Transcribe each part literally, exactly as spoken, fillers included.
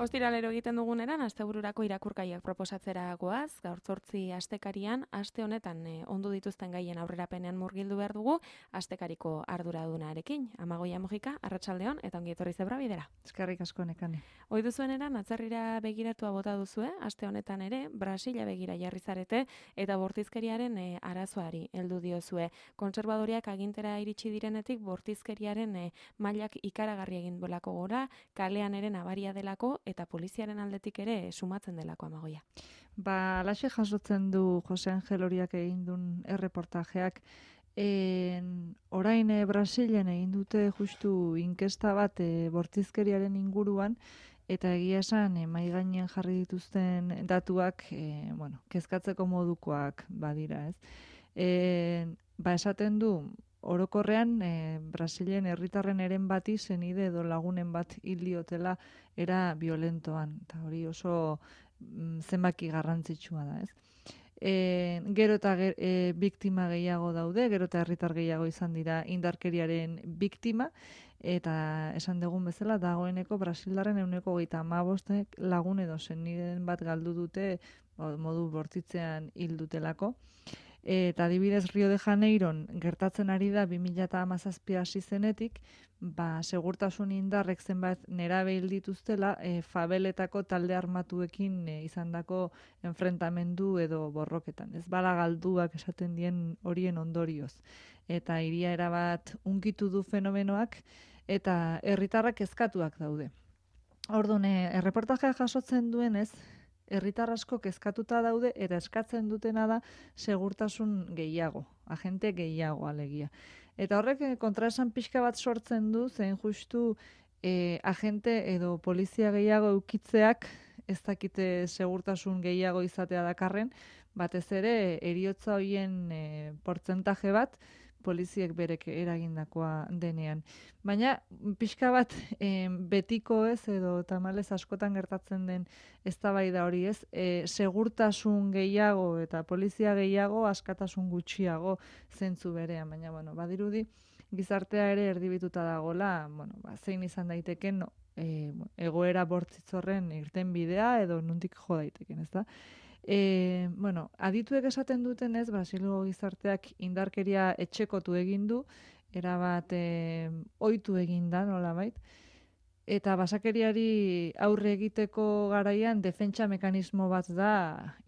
Ostiralero egiten duguneran, astebururako irakurgaiak proposatzera goaz, gaur zortzi astekarian, aste honetan e, ondu dituzten gaien aurrerapenean murgildu behar dugu, astekariko arduradunarekin. Amagoia Mojika, arratsaldeon eta ongi etorri Zebra Bidera. Eskerrik asko Nekane. Ohi duzueneran, atzerrira begiratua bota duzue, aste honetan ere, Brasila begira jarri zarete, eta bortizkeriaren e, arazoari heldu diozue. Kontserbadoriak agintera iritsi direnetik, bortizkeriaren e, mailak ikaragarri egin duelako gora, kalean ere nabaria delako, eta poliziaren aldetik ere sumatzen delako, Amagoia. Ba, alaxe jasotzen du Jose Angel Horiak egin duen erreportajeak. En, orain e, Brasilen egin dute justu inkesta bat e, bortizkeriaren inguruan, eta egia esan e, mai gainean jarri dituzten datuak, e, bueno, kezkatzeko modukoak badira, ez? E, ba, esaten du, orokorrean, e, Brasilen herritarren eren bati zenide edo lagunen bat hil diotela era violentoan. Eta hori oso mm, zenbaki garrantzitsua da, ez? E, gero eta ger, e, biktima gehiago daude, gero eta herritar gehiago izan dira indarkeriaren biktima, eta esan dugun bezala, dagoeneko Brasildarren ehuneko hogeita hamabostek lagun edo zeniden bat galdu dute modu bortitzean hil dutelako. Eta adibidez Rio de Janeiron gertatzen ari da bi mila hamazazpi hasi zenetik, ba, segurtasun indarrek zenbat nerabe hil dituztela, e, fabeletako talde armatuekin e, izandako enfrentamendu edo borroketan. Ez bala galduak esaten dien horien ondorioz. Eta hiria erabat unkitu du fenomenoak eta herritarrak kezkatuak daude. Orduan, e, erreportajea jasotzen duenez, herritar asko kezkatuta daude eta eskatzen dutena da segurtasun gehiago, agente gehiago alegia. Eta horrek kontraesan pixka bat sortzen du, zen justu e, agente edo polizia gehiago eukitzeak ez dakite segurtasun gehiago izatea dakarren, batez ere eriotza hoien e, portzentaje bat poliziek berek eragindakoa denean. Baina, pixka bat e, betiko ez, edo tamalez askotan gertatzen den eztabaida hori ez, e, segurtasun gehiago eta polizia gehiago, askatasun gutxiago zentzu berean. Baina, bueno, badirudi, gizartea ere erdibituta dagola, bueno, ba, zein izan daiteken no, e, egoera bortzitzorren irten bidea, edo nuntik jo daiteken, ez da? E, bueno, adituek esaten duten ez, Brasilgo gizarteak indarkeria etxekotu egin du, erabat e, ohitu egin da, nolabait, eta basakeriari aurre egiteko garaian defentsa mekanismo bat da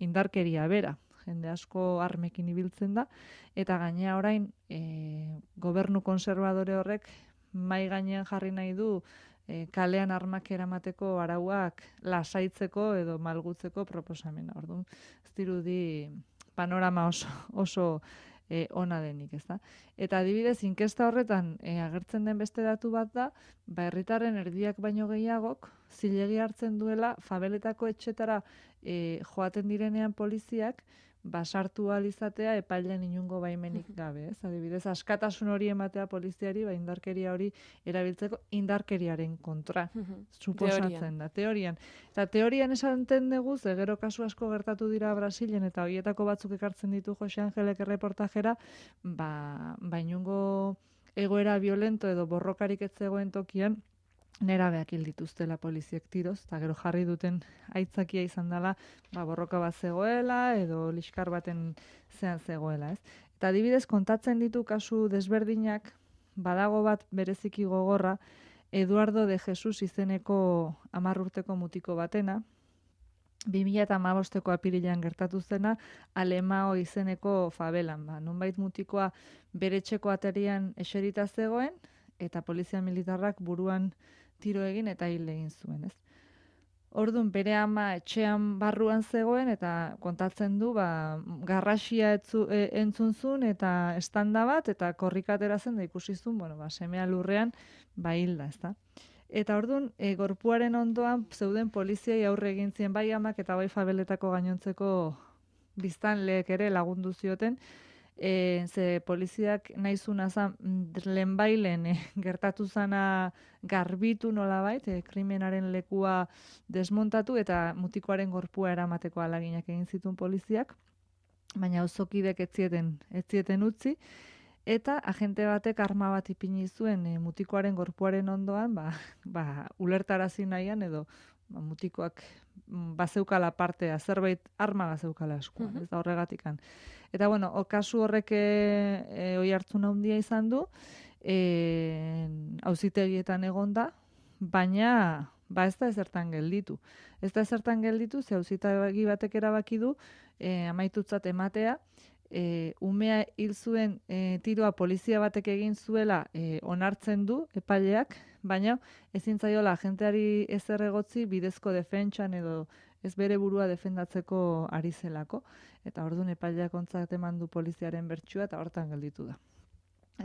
indarkeria bera. Jende asko armekin ibiltzen da, eta gainea orain e, gobernu konservadore horrek mai gainean jarri nahi du E, kalean armak eramateko arauak lasaitzeko edo malgutzeko proposamena. Orduan, ez dirudi panorama oso, oso e, ona denik, ez da? Eta adibidez, inkesta horretan e, agertzen den beste datu bat da, ba, herritarren erdiak baino gehiagok, zilegi hartzen duela, fabeletako etxetara e, joaten direnean poliziak, basartu ahal izatea epailean inungo baimenik gabe, ez? Adibidez, askatasun hori ematea poliziari, ba, indarkeria hori erabiltzeko indarkeriaren kontra suposatzen da, teorian. Eta teorian esaten dugu, ze gero kasu asko gertatu dira Brasilen, eta horietako batzuk ekartzen ditu Jose Angelek erreportajera, ba, ba inungo egoera violento edo borrokarik ez zegoen tokian, nerabeak hil dituztela poliziek tiroz, eta gero jarri duten aitzakia izan dela, ba, borroka bat zegoela, edo liskar baten zean zegoela, ez? Eta adibidez, kontatzen ditu kasu desberdinak, badago bat bereziki gogorra, Eduardo de Jesus izeneko hamar urteko mutiko batena, bi mila hamabosteko apirilean gertatu zena, Alemao izeneko fabelan, ba, nonbait mutikoa bere etxeko aterian eserita zegoen, eta polizia militarrak buruan tiro egin eta hil egin zuen, ez? Orduan, bere ama etxean barruan zegoen eta kontatzen du, ba, garrasia etzu, e, entzun zuen eta estanda bat, eta korrikatera zen da ikusi zuen, bueno, ba, semea lurrean, ba, hilda, ez da? Eta orduan, e, gorpuaren ondoan zeuden poliziai aurre egin zien bai amak eta bai fabeletako gainontzeko biztanleek ere lagundu zioten, E, ze poliziak nahi zuna zan lehenbailen e, gertatu zana garbitu nolabait, e, krimenaren lekua desmontatu eta mutikoaren gorpua eramateko alaginak egin zituen poliziak, baina auzokidek ez zieten, ez zieten utzi, eta agente batek arma bat ipini zuen e, mutikoaren gorpuaren ondoan, ba, ba, ulertarazi nahian edo ba, mutikoak bazeukala partea, zerbait arma bazeukala eskuan, Mhm. ez da horregatikan. Eta bueno, o, kasu horrek e, e, oi hartzun handia izan du, e, auzitegietan egonda, baina ba ez da ezertan gelditu. Ez da ezertan gelditu, ze auzitegi batek erabaki du e, amaitutzat ematea, e, umea hil zuen e, tiroa polizia batek egin zuela e, onartzen du epaileak, baina ezin zaiola agenteari ezer egotzi bidezko defentsan edo ez bere burua defendatzeko ari zelako, eta orduan epaileak ontzat eman du poliziaren bertsua eta hortan gelditu da.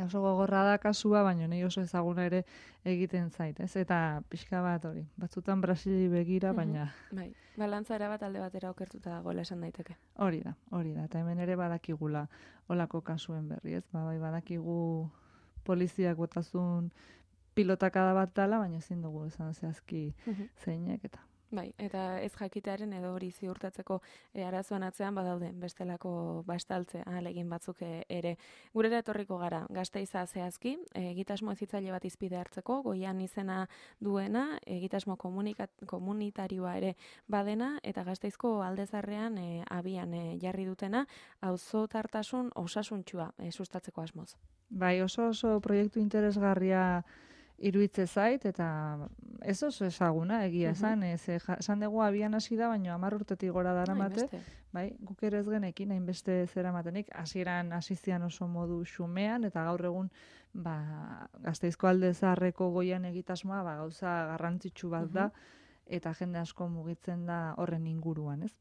Oso gogorra da kasua, baina nahi oso ezaguna ere egiten zait, ez? Eta pixka bat hori, batzutan Brasili begira, baina... Bai, balantza erabat alde batera okertuta dagoela esan daiteke. Hori da, hori da, eta hemen ere badakigula olako kasuen berri, ez? Ba, bai, badakigu poliziak botazun pilotakada bat dala, baina ezin dugu esan zehazki zeinek eta... Bai, eta ez jakitearen edo hori ziurtatzeko e, arazoan atzean badaude bestelako bastaltze ahalegin batzuk e, ere. Gurera etorriko gara, Gasteiza zehazki, egitasmo hezitzaile bat izpide hartzeko, goian izena duena, egitasmo komunitarioa ere badena, eta Gasteizko aldezarrean e, abian e, jarri dutena, auzotartasun osasuntsua e, sustatzeko asmoz. Bai, oso oso proiektu interesgarria iruitze zait, eta ez oso ezaguna, egia esan, ez, esan dugu abian hasi da, baina hamar urtetik gora daramate, bai, guk ere ez genekin, hainbeste zera matenik, hasieran hasi zian oso modu xumean, eta gaur egun, ba, Gasteizko alde zaharreko goian egitasmoa, ba, gauza garrantzitsu bat da, eta jende asko mugitzen da horren inguruan, ez?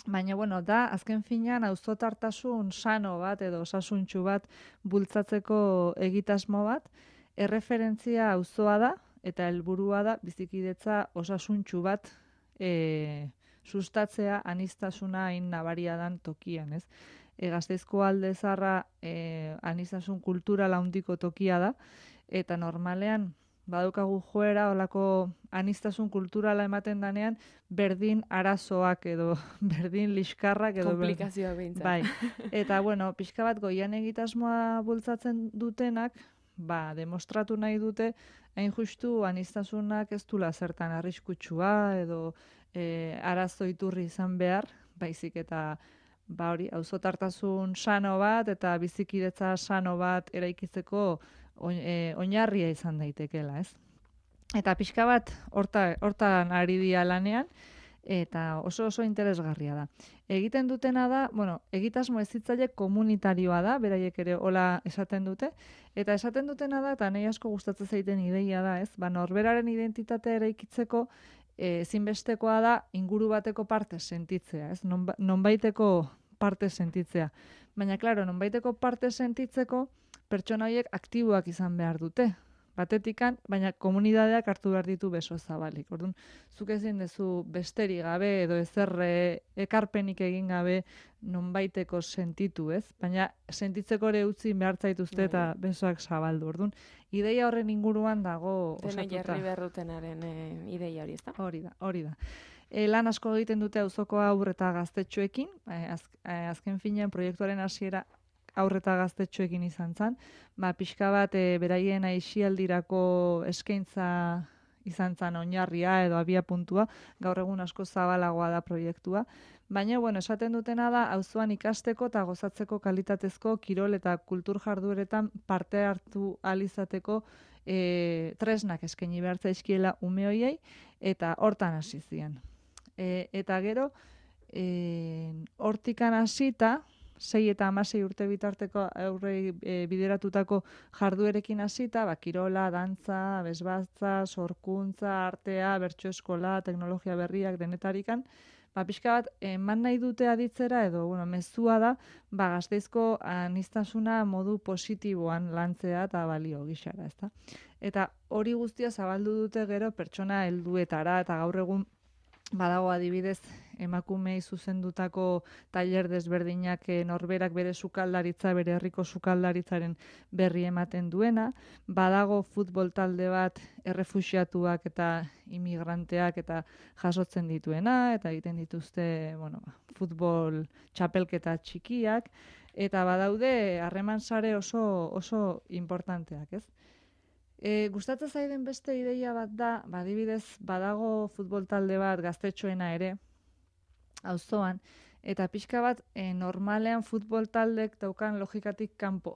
Baina, bueno, da, azken finean, auzotartasun sano bat, edo osasuntsu bat, bultzatzeko egitasmo bat, erreferentzia auzoa da, eta helburua da bizikidetza osasuntsu bat e, sustatzea aniztasuna hain nabaria dan tokian, ez? E, Gasteizko alde zaharra e, anistasun kultural handiko tokia da, eta normalean badukagu joera olako anistasun kulturala ematen danean berdin arazoak edo berdin liskarrak edo komplikazioa behintzat. Bai. Eta bueno, pixka bat goian egitasmoa bultzatzen dutenak, ba, demostratu nahi dute, hain justu aniztasunak ez dula zertan arriskutsua edo e, arazo iturri izan behar, baizik eta ba hori, auzotartasun sano bat eta bizikidetza sano bat eraikitzeko oinarria izan daitekela, ez? Eta pixka bat horta, hortan ari dira lanean, eta oso oso interesgarria da. Egiten dutena da, bueno, egitasmo hezitzaile komunitarioa da, beraiek ere hola esaten dute, eta esaten dutena da, eta nahi asko gustatzen zaiten ideia da, ez? Ba, norberaren identitatea eraikitzeko ezinbestekoa da inguru bateko parte sentitzea, ez? Non, nonbaiteko parte sentitzea. Baina, klaro, nonbaiteko parte sentitzeko pertsona horiek aktiboak izan behar dute. Batetikan, baina komunidadeak hartu behar ditu beso zabalik. Orduan, zuk ezin dezu besteri gabe edo ezer ekarpenik egin gabe nonbaiteko sentitu, ez? Baina sentitzeko ere utzi behar zaituzte eta besoak zabaldu. Orduan, ideia horren inguruan dago osatuta. Dena jarri behar dutenaren e, ideia hori, ez da? Hori da, hori da. E, lan asko egiten dute auzoko haur eta gaztetxoekin, e, az, e, azken finean proiektuaren hasiera haur eta gaztetxoekin izan zen, ba, pixka bat e, beraien aisialdirako eskaintza izan zen oinarria edo abia puntua, gaur egun asko zabalagoa da proiektua, baina, bueno, esaten dutena da, auzoan ikasteko eta gozatzeko kalitatezko kirol eta kultur jardueretan parte hartu alizateko e, tresnak eskaini behar zaizkiela ume hoiei, eta hortan hasi zian. E, eta gero, e, hortikan hasita, sei eta hamasei urte bitarteko aurrei e, bideratutako jarduerekin hasita, ba, kirola, dantza, bezbatza, sorkuntza, artea, bertso eskola, teknologia berriak denetarikan, ba, pixka bat, eman nahi dute aditzera, edo, bueno, mezua da, ba, Gasteizko aniztasuna modu positiboan lantzea eta balio gixara, ezta? Eta hori guztia zabaldu dute gero pertsona helduetara, eta gaur egun badago adibidez emakumei zuzendutako tailer desberdinak norberak bere sukaldaritza, bere herriko sukaldaritzaren berri ematen duena. Badago futbol talde bat errefuxiatuak eta imigranteak eta jasotzen dituena, eta egiten dituzte, bueno, futbol txapelketa txikiak, eta badaude harreman sare oso, oso importanteak, ez? E, gustatzen zaiden beste ideia bat da, badibidez, badago futbol talde bat gaztetxoena ere, auzoan, eta pixka bat e, normalean futbol taldek daukan logikatik kanpo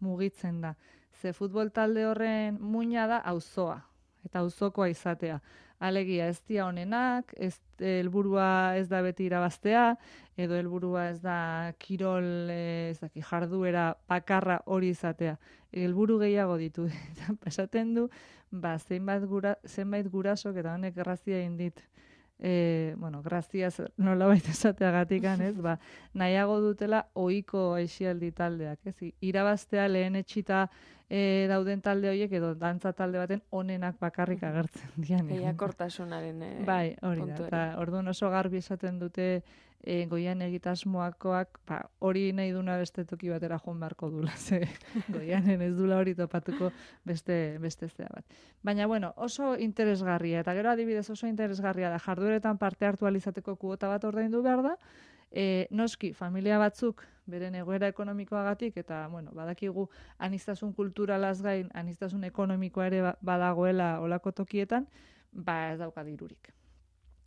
mugitzen da. Ze futbol talde horren muina da auzoa, eta auzokoa izatea. Alegia ez dia honenak, ez helburua ez da beti irabaztea, edo helburua ez da kirol, ez daki, jarduera bakarra hori izatea. Helburu gehiago ditu. Eta esaten du, ba, zenbait, gura, zenbait gurasok, eta honek grazia egin dit, e, bueno, grazia nolabait esateagatikan, ez, ba, nahiago dutela ohiko aisialdi taldeak, ez, irabaztea lehen etxita e, dauden talde horiek edo dantza talde baten onenak bakarrik agertzen dian. Lehiakortasunaren e, bai, hori da, eta orduan oso garbi esaten dute e, goian egitasmoakoak, ba, hori nahi duna beste toki batera joan beharko dula, ze goianen ez dula hori topatuko beste, beste zea bat. Baina, bueno, oso interesgarria, eta gero adibidez oso interesgarria da, jardueretan parte hartu alizateko kuota bat ordaindu behar da, e, noski, familia batzuk beren egoera ekonomikoagatik, eta, bueno, badakigu aniztasun kulturalaz gain, aniztasun ekonomikoa ere badagoela olako tokietan, ba ez dauka dirurik.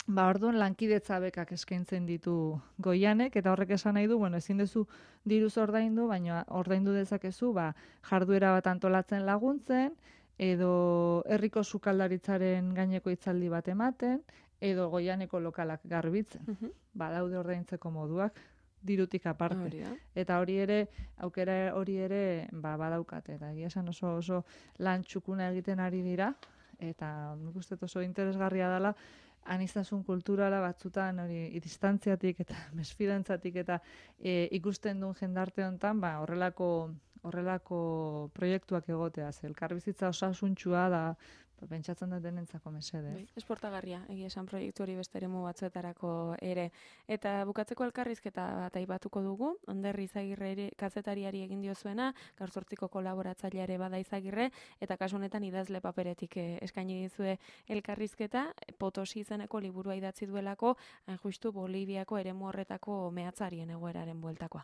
Ba, orduan lankidetza bekak eskaintzen ditu goianek, eta horrek esan nahi du, bueno, ezin duzu diruz ordaindu, baina ordaindu dezakezu, ba, jarduera bat antolatzen laguntzen, edo herriko sukaldaritzaren gaineko hitzaldi bat ematen, edo goianeko lokalak garbitzen. Uh-huh. Ba, daude ordaintzeko moduak, dirutik aparte. Hori eta hori ere, aukera hori ere, ba, badaukate. Eta egia esan oso, oso lan txukuna egiten ari dira, eta nik uste oso interesgarria dela, aniztasun kulturala batzutan hori distantziatik eta mesfidantzatik eta e, ikusten duen jendarte honetan, ba, horrelako, horrelako proiektuak egotea. Ze elkarbizitza osasuntxua da, pentsatzen da denentzako mesede. Bai, esportagarria, egia esan proiektu hori beste eremu batzuetarako ere. Eta bukatzeko elkarrizketa bat aipatuko dugu, Ander Izagirre kazetariari egin diozuena, gaur zortziko kolaboratzaileare bada Izagirre, eta kasu honetan idazle paperetik eskaini dizue elkarrizketa, Potosi izeneko liburua idatzi duelako, hain justu Boliviako eremu horretako mehatzarien egoeraren bueltakoa.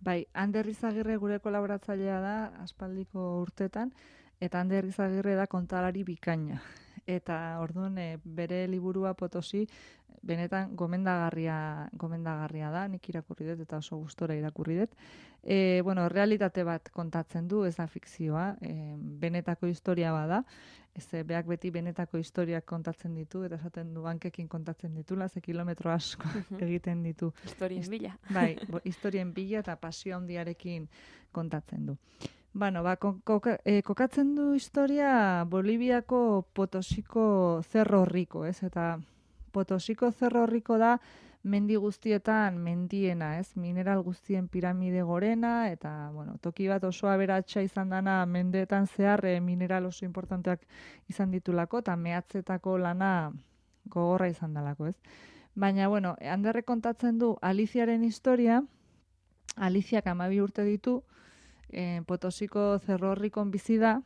Bai, Ander Izagirre gure kolaboratzailea da, aspaldiko urtetan, eta Ander Izagirre da kontalari bikaina. Eta orduan e, bere liburua Potosi benetan gomendagarria, gomendagarria da, nik irakurri dut eta oso gustora irakurri dut. E, bueno, realitate bat kontatzen du, ez da fikzioa, e, benetako historia bada, ez beak beti benetako historiak kontatzen ditu, eta esaten du bankekin kontatzen ditula, ze kilometro asko egiten ditu. Historien bila. Bai, bo, historien bila eta pasio handiarekin kontatzen du. Bueno, ba, koka, e, kokatzen du historia Boliviako Potosiko Cerro Rico, ez? Eta Potosiko Cerro Rico da mendi guztietan mendiena, ez? Mineral guztien piramide gorena, eta, bueno, toki bat oso aberatsa izan dana mendeetan zehar e, mineral oso importanteak izan ditulako, eta mehatzetako lana gogorra izan dalako, ez? Baina, bueno, Anderrek kontatzen du Aliziaren historia, Aliziak hamabi urte ditu, E, Potosiko Cerro Ricon bizi da,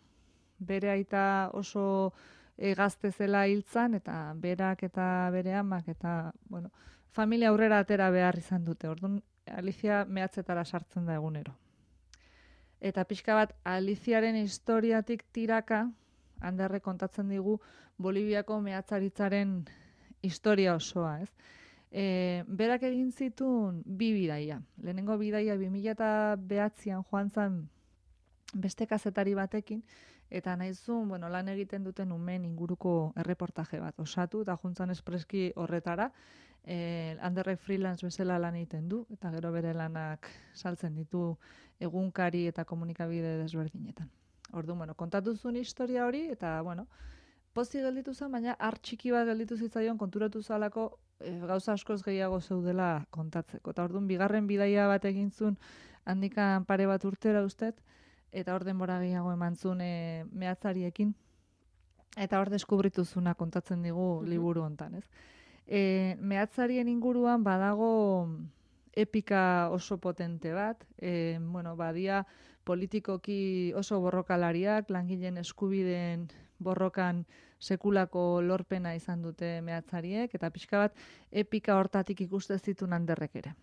bere aita oso e, gazte zela hiltzan, eta berak eta bere amak, eta, bueno, familia aurrera atera behar izan dute. Orduan, Alizia mehatzetara sartzen da egunero. Eta pixka bat, Aliziaren historiatik tiraka, Anderrek kontatzen digu, Boliviako mehatzaritzaren historia osoa, ez? E, berak egin zituen bi bidaia. Lehenengo bidaia bi mila bederatzian joan zen beste kazetari batekin, eta nahizun, bueno, lan egiten duten umeen inguruko erreportaje bat osatu, eta juntzan espreski horretara, e, Anderrek freelance bezala lan egiten du, eta gero bere lanak saltzen ditu egunkari eta komunikabide desberdinetan. Orduan, bueno, kontatu zuen historia hori, eta, bueno, pozi gelditu zen, baina har txiki bat gelditu zitzaion konturatu zalako e, gauza askoz gehiago zeudela kontatzeko. Eta orduan bigarren bidaia bat egin zuen handikan pare bat urtera ustet, eta hor denbora gehiago eman zuen e, mehatzariekin, eta hor deskubritu zuna kontatzen digu liburu hontan, ez? E, mehatzarien inguruan badago epika oso potente bat, e, bueno, badia politikoki oso borrokalariak, langileen eskubideen borrokan sekulako lorpena izan dute mehatzariek, eta pixka bat epika hortatik ikuste zituen Anderrek ere.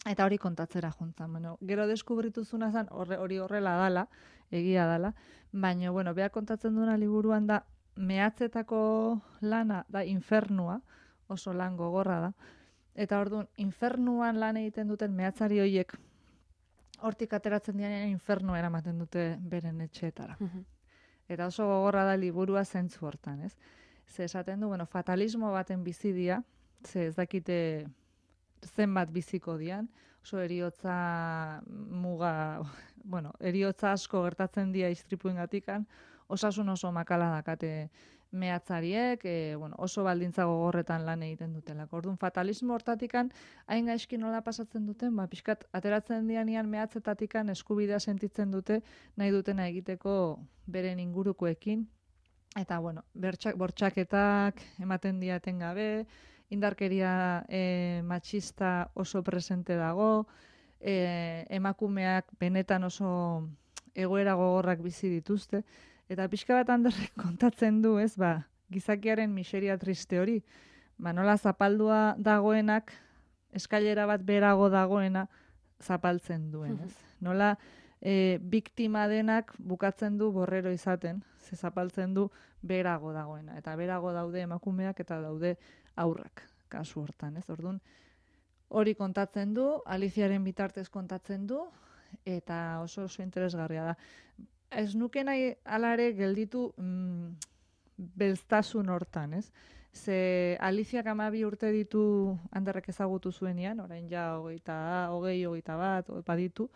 Eta hori kontatzera juntzan. Bueno, gero deskubritu zuna zen, hori horrela dala, egia dala, baina, bueno, beha kontatzen duena liburuan da, mehatzetako lana da infernua, oso lan gogorra da, eta orduan, infernuan lan egiten duten mehatzari horiek, hortik ateratzen dianean infernua eramaten dute beren etxeetara. Eta oso gogorra da liburua zentzu hortan, ez? Ze esaten du, bueno, fatalismo baten bizidia, ze ez dakite zenbat biziko dian, oso eriotza muga, bueno, eriotza asko gertatzen dia istripuengatikan, osasun oso makala dakate mehatzariek, e, bueno, oso baldintza gogorretan lan egiten dutelako. Orduan, fatalismo hortatikan, hain gaizki nola pasatzen duten, ba, pixkat, ateratzen dianian mehatzetatikan eskubidea sentitzen dute, nahi dutena egiteko beren ingurukoekin, eta, bueno, bertxak, bortxaketak ematen diaten gabe, indarkeria e, matxista oso presente dago, e, emakumeak benetan oso egoera gogorrak bizi dituzte, eta pixka bat Anderrek kontatzen du, ez, ba, gizakiaren miseria triste hori, ba, nola zapaldua dagoenak, eskailera bat berago dagoena zapaltzen duen, ez? Nola e, biktima denak bukatzen du borrero izaten, ze zapaltzen du berago dagoena, eta berago daude emakumeak eta daude aurrak, kasu hortan, ez? Orduan, hori kontatzen du, Aliziaren bitartez kontatzen du, eta oso oso interesgarria da. Ez nuke nahi alare gelditu mm, belztasun hortan, ez? Ze Aliziak hamabi urte ditu Anderrek ezagutu zuenean, orain ja hogeita, hogei, hogeita bat, baditu,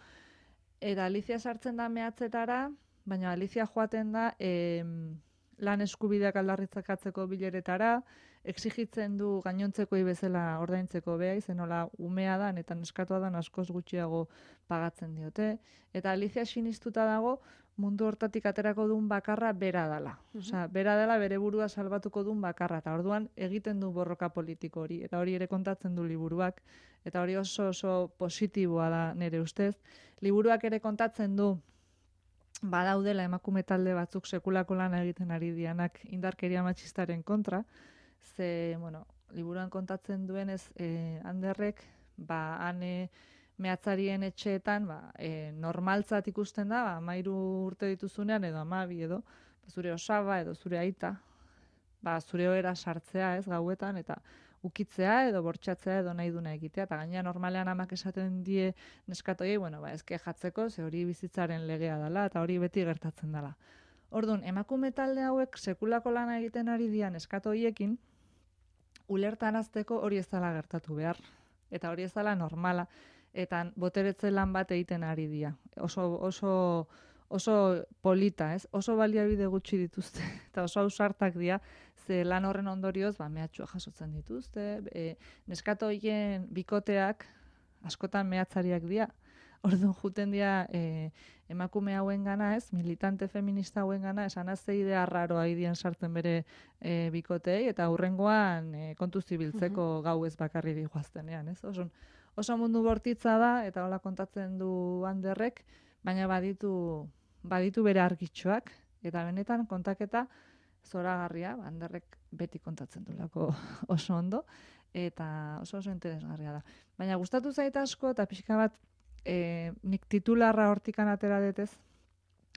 eta Alizia sartzen da mehatzetara, baina Alizia joaten da em, lan eskubideak aldarritzakatzeko bileretara, exigitzen du gainontzekoi bezala ordaintzeko beha, izenola umea da, eta neskatua da askoz gutxiago pagatzen diote. Eta Alizia sinistuta dago mundu hortatik aterako duen bakarra bera dela. Uh-huh. Osea, bera dela bere burua salbatuko duen bakarra, eta orduan egiten du borroka politiko hori, eta hori ere kontatzen du liburuak, eta hori oso oso positiboa da nire ustez. Liburuak ere kontatzen du badaudela emakume talde batzuk sekulako lana egiten ari dianak indarkeria matxistaren kontra, ze, bueno, liburuan kontatzen duenez, eh, Anderrek, ba, ane mehatzarien etxeetan, ba, e, normaltzat ikusten da, ba, amairu urte dituzunean, edo amabi edo, zure osaba edo zure aita, ba, zure ohera sartzea, ez, gauetan, eta ukitzea edo bortxatzea edo nahi duna egitea, eta gaina normalean amak esaten die neskatoiei, bueno, ba, ezke jatzeko, ze hori bizitzaren legea dela, eta hori beti gertatzen dela. Orduan, emakume talde hauek sekulako lana egiten ari dian eskatoiekin, ulertarazteko hori ez dela gertatu behar, eta hori ez dela normala, eta boteretze lan bat egiten ari dira. Oso, oso, oso polita, ez? Oso baliabide gutxi dituzte, eta oso ausartak dira, ze lan horren ondorioz, ba, mehatxua jasotzen dituzte, e, neskatoien bikoteak, askotan mehatzariak dira, orduan juten dira e, emakume hauen gana, ez, militante feminista hauen gana, esan azte idea arraroa idien sartzen bere e, bikotei, eta hurrengoan e, kontu zibiltzeko uh-huh. gau ez bakarri dihuaztenean, ez? Oso, oso mundu bortitza da, eta hola kontatzen du Anderrek, baina baditu, baditu bere argitxoak, eta benetan kontaketa zoragarria, Anderrek beti kontatzen dulako oso ondo, eta oso oso interesgarria da. Baina gustatu zait asko, eta pixka bat, e, nik titularra hortikan atera detez,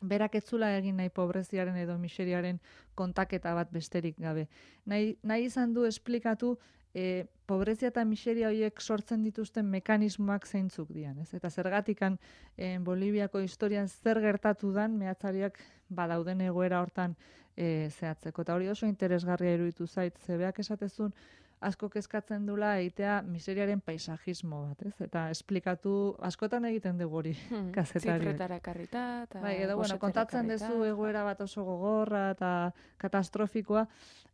berak etzula egin nahi pobreziaren edo miseriaren kontaketa bat besterik gabe. Nahi, nahi izan du esplikatu e, pobrezia eta miseria horiek sortzen dituzten mekanismoak zeintzuk dian, ez? Eta zergatikan e, Boliviako historian zer gertatu dan mehatzariak badauden egoera hortan e, zehatzeko. Eta hori oso interesgarria iruditu zait, zebeak esatezun asko kezkatzen dula egitea miseriaren paisajismo bat, ez? Eta esplikatu, askotan egiten dugu hori hmm, kazetariak. Zifretara karrita, eta bai, edo, bueno, kontatzen dezu egoera bat oso gogorra eta katastrofikoa,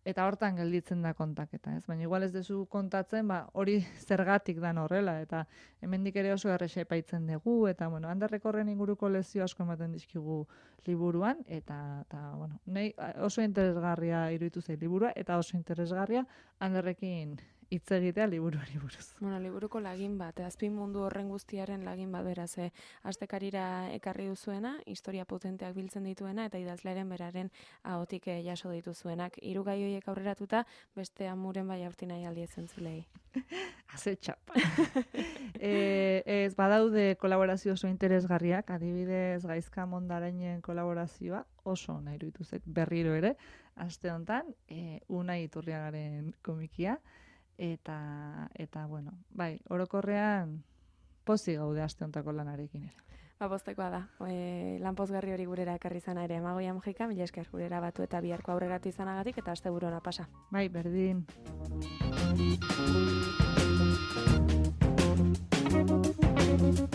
eta hortan gelditzen da kontaketa, ez? Baina igual ez dezu kontatzen, ba, hori zergatik dan horrela, eta hemendik ere oso errexa epaitzen dugu, eta, bueno, Anderrek horren inguruko lezio asko ematen dizkigu liburuan, eta, eta bueno, nahi oso interesgarria iruditu zait liburua, eta oso interesgarria Anderrekin gurekin hitz egitea liburuari buruz. Bueno, liburuko lagin bat, azpi mundu horren guztiaren lagin bat beraz, eh? Astekarira ekarri duzuena, historia potenteak biltzen dituena, eta idazlearen beraren ahotik eh, jaso dituzuenak. Hiru gai horiek aurreratuta, beste amuren bai aurti nahi aldi ezen zulei. Haze txapa. e, ez badaude kolaborazio oso interesgarriak, adibidez Gaizka Mondarainen kolaborazioa oso nahi iruditu zait berriro ere, aste honetan, e, Unai Iturriagaren komikia, eta, eta bueno, bai, orokorrean pozik gaude aste honetako lanarekin ere. Ba, poztekoa da. E, lanpozgarri hori gurera ekarri izana ere. Amagoia Mujika, mila esker gurera batu eta biharko aurreratu izanagatik eta asteburu ona pasa. Bai, berdin. Thank you.